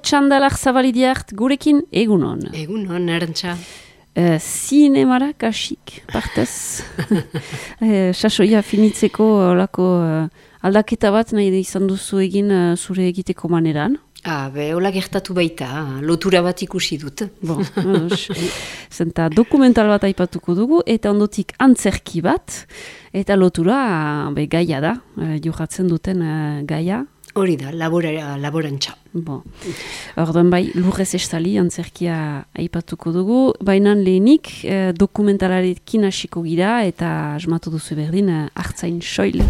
Txandalak Zabalidiart gurekin egunon. Egunon, Arantxa. Zinemara kasik, partez. Sasoia finitzeko olako aldaketa bat nahi izan duzu egin zure egiteko maneran. Hola gertatu baita, lotura bat ikusi dut. Zenta dokumental bat aipatuko dugu, eta ondotik antzerki bat, eta lotura gaia da, jokatzen duten gaia. Hori da, laborantza. Orduan bai, lurrez estali antzerkia aipatuko dugu, baina lehenik dokumentalarekin hasiko gira eta asmatu duzu berdin Artzain soil.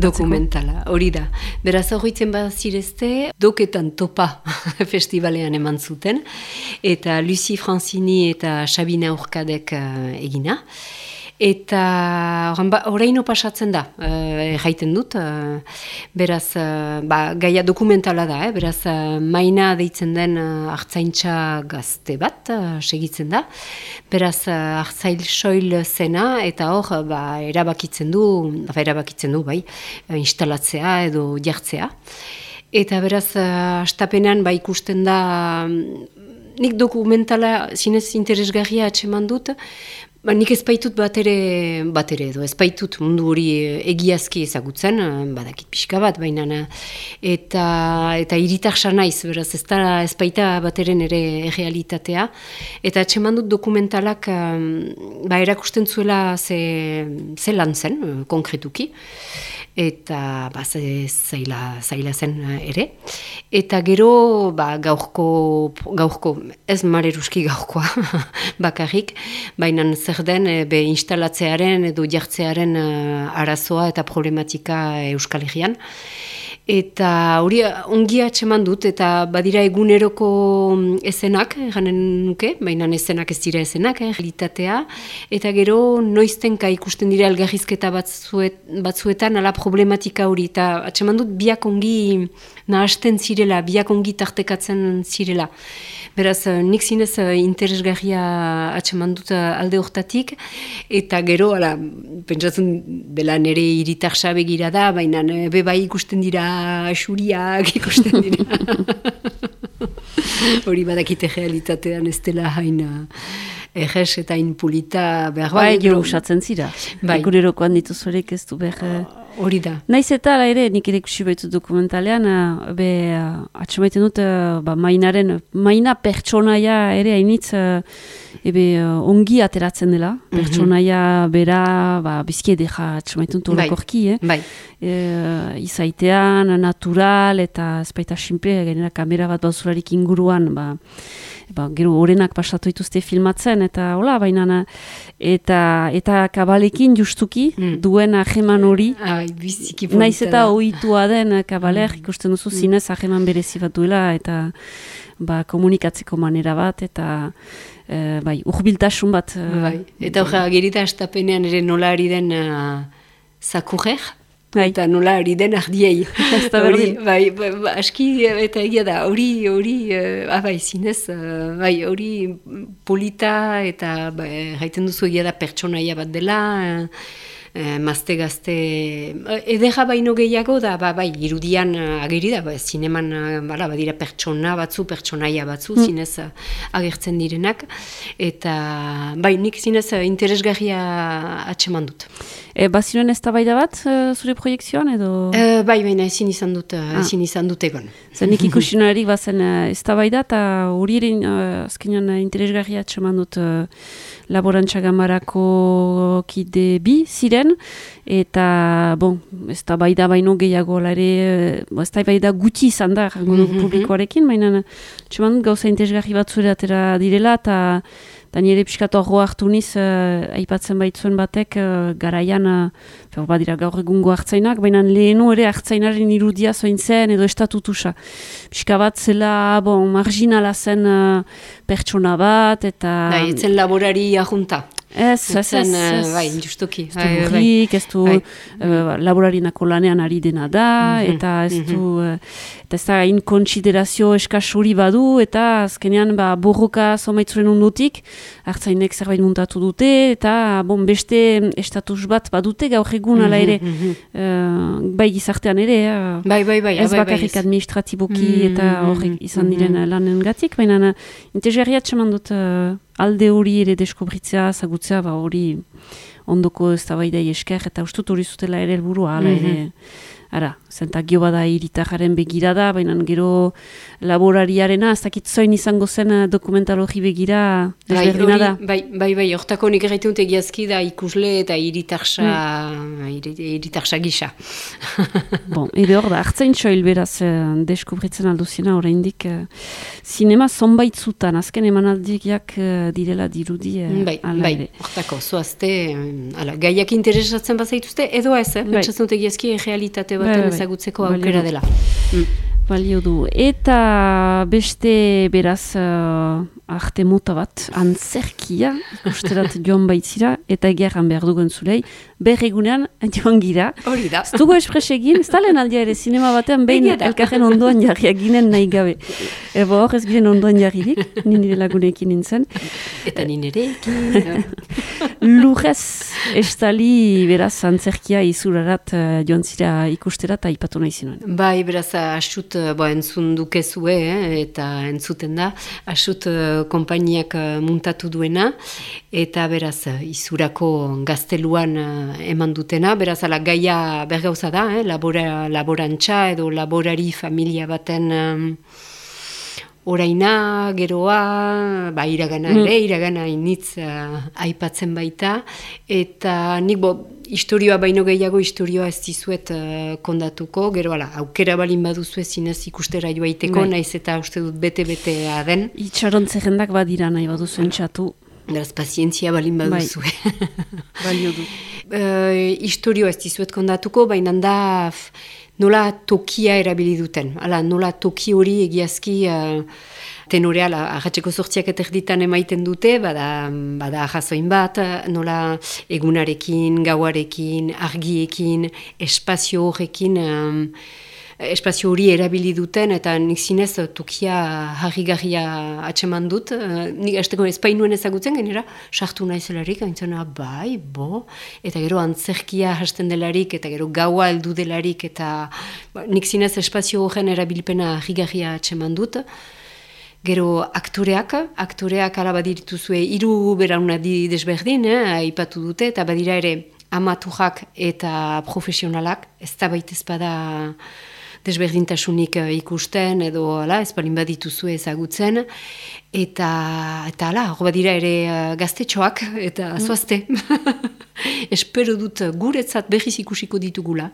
Dokumentala, hori da. Beraz horretzen bazirezte, doketan topa festivalean eman zuten, eta Lucie Francini eta Sabina Urkadek egina. Eta oraino pasatzen da, jaiten dut, beraz, gaia dokumentala da, beraz, Maina deitzen den artzaintza gazte bat, segitzen da, beraz, Artzain soil zena, eta hor, erabakitzen du, bai, instalatzea edo jartzea. Eta beraz, astapenean, ikusten da, nik dokumentala zinez interesgarria atseman dut, nik ez baitut bat ere edo, ez baitut mundu hori egiazki ezagutzen, badakit pixka bat, baina eta hiritarsa naiz, beraz ez baita bat eren ere realitatea, eta atseman dut dokumentalak erakusten zuela ze lan zen, konkretuki, eta zaila zen ere. Eta gero gaurko, ez mareruski gaurkoa bakarrik, baina zer den instalatzearen edo jartzearen arazoa eta problematika Euskal Herrian. Eta hori ongi atseman dut, eta badira eguneroko ezenak, ganen nuke, baina ezenak ez dira ezenak, realitatea, eta gero noiztenka ikusten dira elgarrizketa batzuetan ala problematika hori, eta atseman dut biak ongi nahasten zirela, biak ongi tartekatzen zirela. Beraz, nik zinez interesgarria atseman dut alde hortatik, eta gero, pentsatzen dela nire hiritarsa begira da, baina bai ikusten dira xuriak ikusten dira. Hori badakite realitatean ez dela hain errez eta hain pulita behar. Gero usatzen zira. Egunerokoan dituzorek ez du behar. Hori da. Naiz eta ere, nik ere ikusi baitu dokumentalean, atxamaiten dut, Maina pertsonaia ere hainitz, ongi ateratzen dela. Pertsonaia bera, bizki edeja atxamaiten dut horokorki, izaitean, natural, eta ezpaita simple, gainera kamera bat bauzularik inguruan, gero horenak pasatu dituzte filmatzen, eta hola, baina, eta kabalekin justuki duen ajeman hori, naiz eta ohitua den kabaler, ikusten duzu zinez ajeman berezi bat duela, eta komunikatzeko manera bat, eta urbiltasun bat. Eta gerita astapenean ere nola ari den zakurrer, eta nola ari den ardiei. Aski, eta egia da, hori zinez, hori polita, eta gaiten duzu egia da pertsonaia bat dela, mazte-gazte, edera baino gehiago da, irudian ageri da, zineman badira pertsonaia batzu, zinez agertzen direnak, eta nik zinez interesgarria atseman dut. Baziren ez da baida bat zure proiektzioan edo? Baina ezin izan dut egon. Nik ikusinunarik bazen ez da baida, eta hori ere azkenean interesgarria atseman dut laborantza gamarako kide bi ziren, eta ez da baida baino gehiago ere, ez da baida gutxi izan da publikoarekin, baina atseman dut gauza interesgarri bat zure atera direla, eta nire pixkatu arro hartu niz, aipatzen baitzuen batek, garaian, badira gaur egungo hartzainak, baina lehenu ere hartzainaren irudia zoin zen edo estatutusa. Pixka bat zela, marginala zen pertsona bat, eta... Etzen laborari ajunta. Ez. Bai, justuki. Ez du burrik, ez du laborarinako lanean ari dena da, eta ez du, eta ez da inkonsiderazio eskasuri badu, eta azkenean borroka zomaitzuren ondotik, hartzainek zerbait muntatu dute, eta beste estatus bat badute gaur egun ala ere, bai gizartean ere, ez bakarrik administratiboki eta horrek izan diren lanen gatik, baina interesgarriat seman dut alde hori ere deskubritzea, zagutzea, hori ondoko eztabaidai esker, eta ustut hori zutela ere helburua, ala ere, zentak gio bada hiritarraren begirada, baina gero laborariarena, ez dakit zoin izango zen dokumentalogi begira desberdina da. Bai, hortako nik erraitun egiazki da ikusle eta hiritarsa gisa. Ere hor da, hartzain txoil beraz deskubritzen alduzina, oraindik zinema zonbait zutan, azken emanaldiak direla dirudi. Bai, hortako, zoazte, gaiak interesatzen bazaituzte, edo ez, pentsatzen dut egiazki realitate baten ezagutzeko aukera dela. Balio du. Eta beste beraz arte mota bat, antzerkia, ikusterat joan baitzira, eta egeran behar dugun zulei, berregunean joan gira. Hori da. Ez dugu espres egin, ez talen aldia ere, sinema batean behin elkarren ondoan jarriak ginen nahi gabe. Hor ez ginen ondoan jarririk, nire lagunekin nintzen. Eta nirerekin. Lurrez estali beraz antzerkia izurarat joan zira ikusterat aipatu nahi zinuen. Bai, beraz, asut entzun dukezue, eta entzuten da, asut konpainiak muntatu duena, eta beraz, izurako gazteluan eman dutena, beraz, gaia bergauza da, laborantza edo laborari familia baten oraina, geroa, iragana ere, iragana initz aipatzen baita, eta nik historioa baino gehiago historioa ez dizuet kondatuko, gero aukera balin baduzu zinez ikustera joaiteko, naiz eta uste dut bete-betea den. Itxaron zerrendak badira nahi baduzu entxatu. Beraz, pazientzia balin baduzu. Balio du. Historioa ez dizuet kondatuko, baina da nola tokia erabili duten. Nola toki hori egiazki tenorea, ahatzeko sortziak eterditan emaiten dute, bada ahazoin bat, nola egunarekin, gauarekin, argiekin, espazio horrekin, espazio hori erabili duten, eta nik zinez tokia harrigarria atseman dut. Nik azteko espainuen ezagutzen genera, sartu nahizelarik, aintzena, eta gero antzerkia hasten delarik, eta gero gaua heldu delarik, eta nik zinez espazio horren erabilpena harrigarria atseman dut. Gero aktoreak ala badirituzue 3 beraunadi desberdin, aipatu dute, eta badira ere amaturak eta profesionalak, ez da baitez bada desberdintasunik ikusten, edo ez balin badituzue ezagutzen, eta hor badira ere gaztetxoak, eta zoazte. Espero dut guretzat berriz ikusiko ditugula.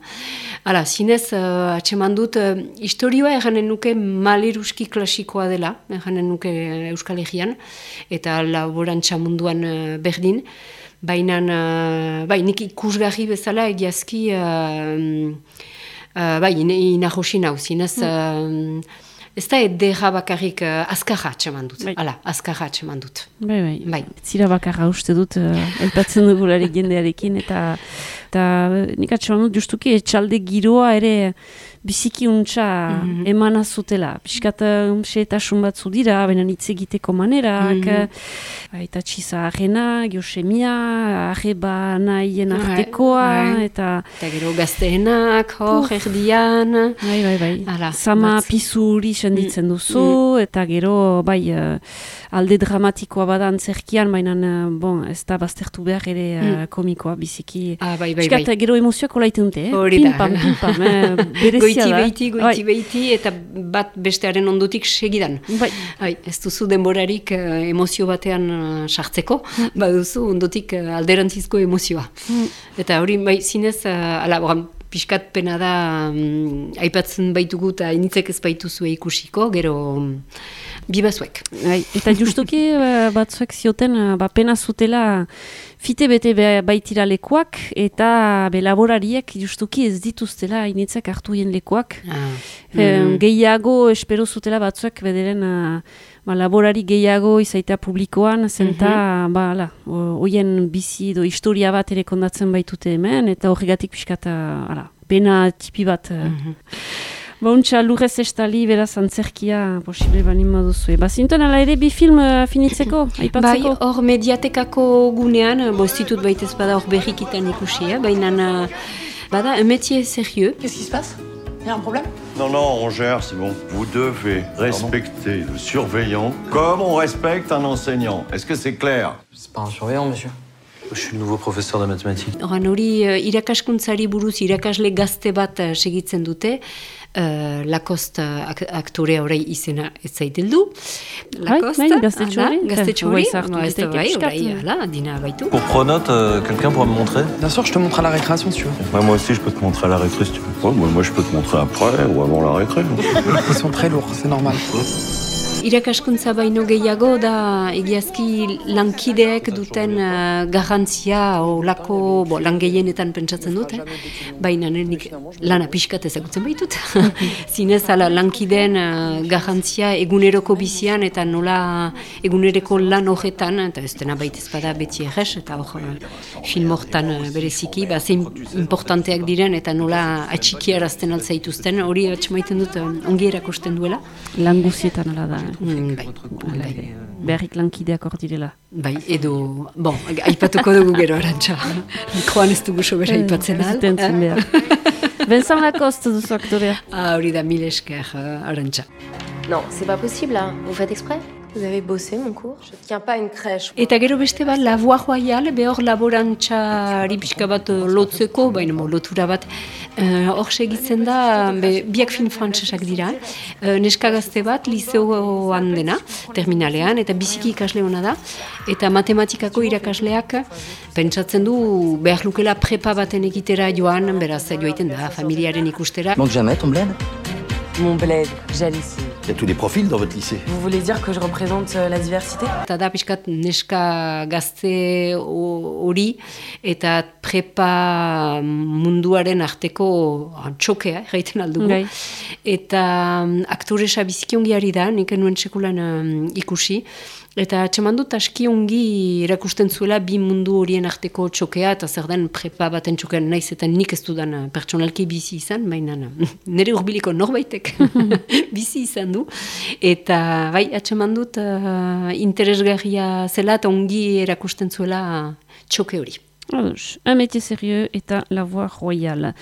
Zinez, atseman dut, historioa erranen nuke maleruski klasikoa dela, erranen nuke Euskal Herrian, eta laborantza munduan berdin, baina nik ikusgarri bezala egiazki inahosi nau, zinez, ez da edera bakarrik azkarra atseman dut. Azkarra atseman dut. Bai. Zira bakarra uste dut, elpatzen dugularik jendearekin, eta nik atseman dut justuki etxalde giroa ere biziki untxa emana zutela. Piskat xeetasun batzu dira, baina hitz egiteko manerak, eta txiza arrena, geosemia, arreba nahien artekoa, eta gero gazteenak, erdian. Bai. Sama pizuri senditzen duzu, eta gero, alde dramatikoa bada antzerkian, baina, ez da baztertu behar ere komikoa, biziki. Piskat gero emozioak olaiten dute, pim-pam, goiti behiti, eta bat bestearen ondotik segidan. Ez duzu denborarik emozio batean sartzeko, baduzu ondotik alderantzizko emozioa. Eta hori, zinez, piskat pena da aipatzen baitugu eta initzek ez baituzue ikusiko, gero bibazuek. Eta justuki batzuek zioten pena zutela fite bete baitira lekuak, eta laborariek justuki ez dituztela initzek hartu hien lekuak. Gehiago espero zutela batzuek bederen laborari gehiago izaitea publikoan, zenta hoien bizi edo historia bat ere kondatzen baitute hemen, eta horregatik pixkata pena tipi bat. Untxa lurrez estali beraz antzerkia posible banin moduzu. Zinten ala ere bi film finitzeko, aipatzeko? Bai, hor mediatekako gunean, ditut baitez bada hor berrikitan ikusi, baina bada un métier sérieux. Qu'est-ce qui se passe? Il y a un problème? Non, on gère, c'est bon. Vous devez respecter le surveillant comme on respecte un enseignant. Est-ce que c'est clair? C'est pas un surveillant, monsieur. Je suis le nouveau professeur de mathématiques. Hori irakaskuntzari buruz irakasle gazte bat segitzen dute. Lacoste aktorea orai izena ez zaiteldu. Lacoste, gaztetxo dina baitu. Pour Pronote, quelqu'un pourra me montrer? Bien sûr, je te montre à la récréation si tu veux. Moi aussi, je peux te montrer à la récré si tu veux. Moi, je peux te montrer après ou avant la récré. Ils sont très lourds, c'est normal. Irakaskuntza baino gehiago da egiazki lankideek duten garrantzia olako lan gehienetan pentsatzen dut, baina nik lana pixkat ezagutzen baitut. Zinez lankideen garrantzia eguneroko bizian eta nola egunereko lan horretan, eta ez dena baitez bada beti errez, eta hor film hortan bereziki, zein importanteak diren eta nola atxikiarazten altzaituzten, hori atxemaiten dut ongi erakusten duela. Lan guzietan ala da. Bai. Beharrik lankideak hor direla. Bai, edo, aipatuko dugu gero Arantxa. Mikroan ez dugu sobera aipatzen al. Zitentzen behar. Vincent Lacoste duzu aktorea. Hori da, mil esker, Arantxa. Non, c'est pas possible, hein. Vous faites exprès? Vous avez bossé mon cours? Je tiens pas une crèche. Eta gero beste bat, La Voie Royale, behor laborantxari pixka bat lotzeko, baina lotura bat, hor segitzen da, biak film frantsesak dira, neska gazte bat, liceoan dena, terminalean, eta biziki ikasle hona da, eta matematikako irakasleak pentsatzen du behar lukela prepa baten egitera joan, beraz joaiten da, familiaren ikustera. Manque jamais ton bled? Mon bled, j'allais ici. Il y a tous les profils dans votre lycée. Vous voulez dire que je représente la diversité? Eta da pixkat neska gazte hori eta prepa munduaren arteko txokea, erraiten aldugu. Eta aktoresa biziki ongi ari da, nik nuen sekulan ikusi. Eta atxeman dut aski ongi erakusten zuela bi mundu horien arteko txokea, eta zer den prepa baten txokean naiz eta nik ez dudan pertsonalki bizi izan, baina nire urbiliko norbaitek bizi izan du. Eta bai, atxeman dut interesgarria zela eta ongi erakusten zuela txoke hori. Un métier sérieux eta La Voie Royale.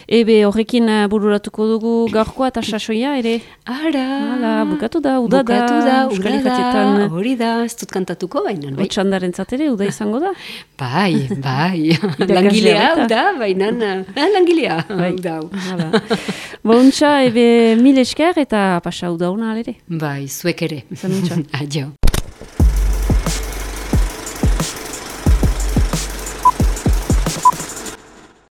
Horrekin bururatuko dugu gaurkoa eta sasoia ere? Ara! Bukatu da, uda da. Hori da, ez dut kantatuko baina. Otxandaren zatere, uda izango da? Bai. Langilea, uda, baina. Langilea, uda. Bontxa, mil esker eta pasa uda hona alere. Bai, zuek ere. Zanutxa. Adio.